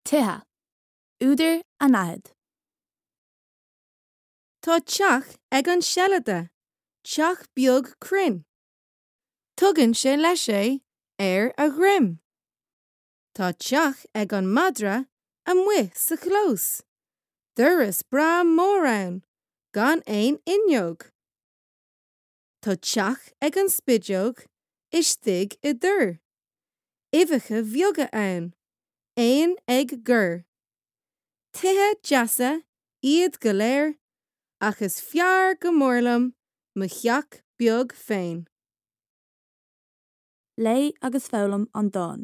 Tithe. Údar anaithnid. Tá teach ag an seilide, teach beag cruinn. Tugann sé leis é ar a dhroim. Tá teach ag an madra amuigh sa chlós, doras breá mór ann gan aon fhuinneog. Tá teach ag an spideog istigh i dtor, uibheacha beaga ann, éin ag gor. Tithe deasa iad go léir ach is fearr go mór liom mo theach beag féin. Léigh agus foghlaim an dán.